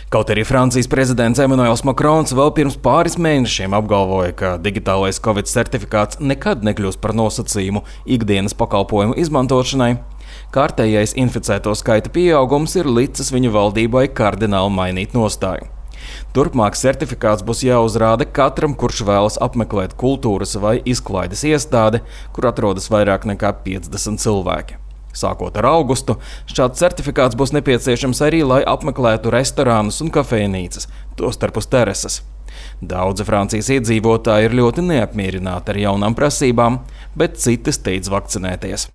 Kaut arī Francijas prezidents Emmanuels Macrons vēl pirms pāris mēnešiem apgalvoja, ka digitālais Covid certifikāts nekad nekļūs par nosacījumu ikdienas pakalpojumu izmantošanai, kārtējais inficēto skaita pieaugums ir licis viņu valdībai kardināli mainīt nostāju. Turpmāk certifikāts būs jāuzrāda katram, kurš vēlas apmeklēt kultūras vai izklaides iestādi, kur atrodas vairāk nekā 50 cilvēki. Sākot ar augustu, šāds certifikāts būs nepieciešams arī, lai apmeklētu restorānus un kafejnīcas, tostarp uz terases. Daudzi Francijas iedzīvotāji ir ļoti neapmierināti ar jaunām prasībām, bet citi steidz vakcinēties.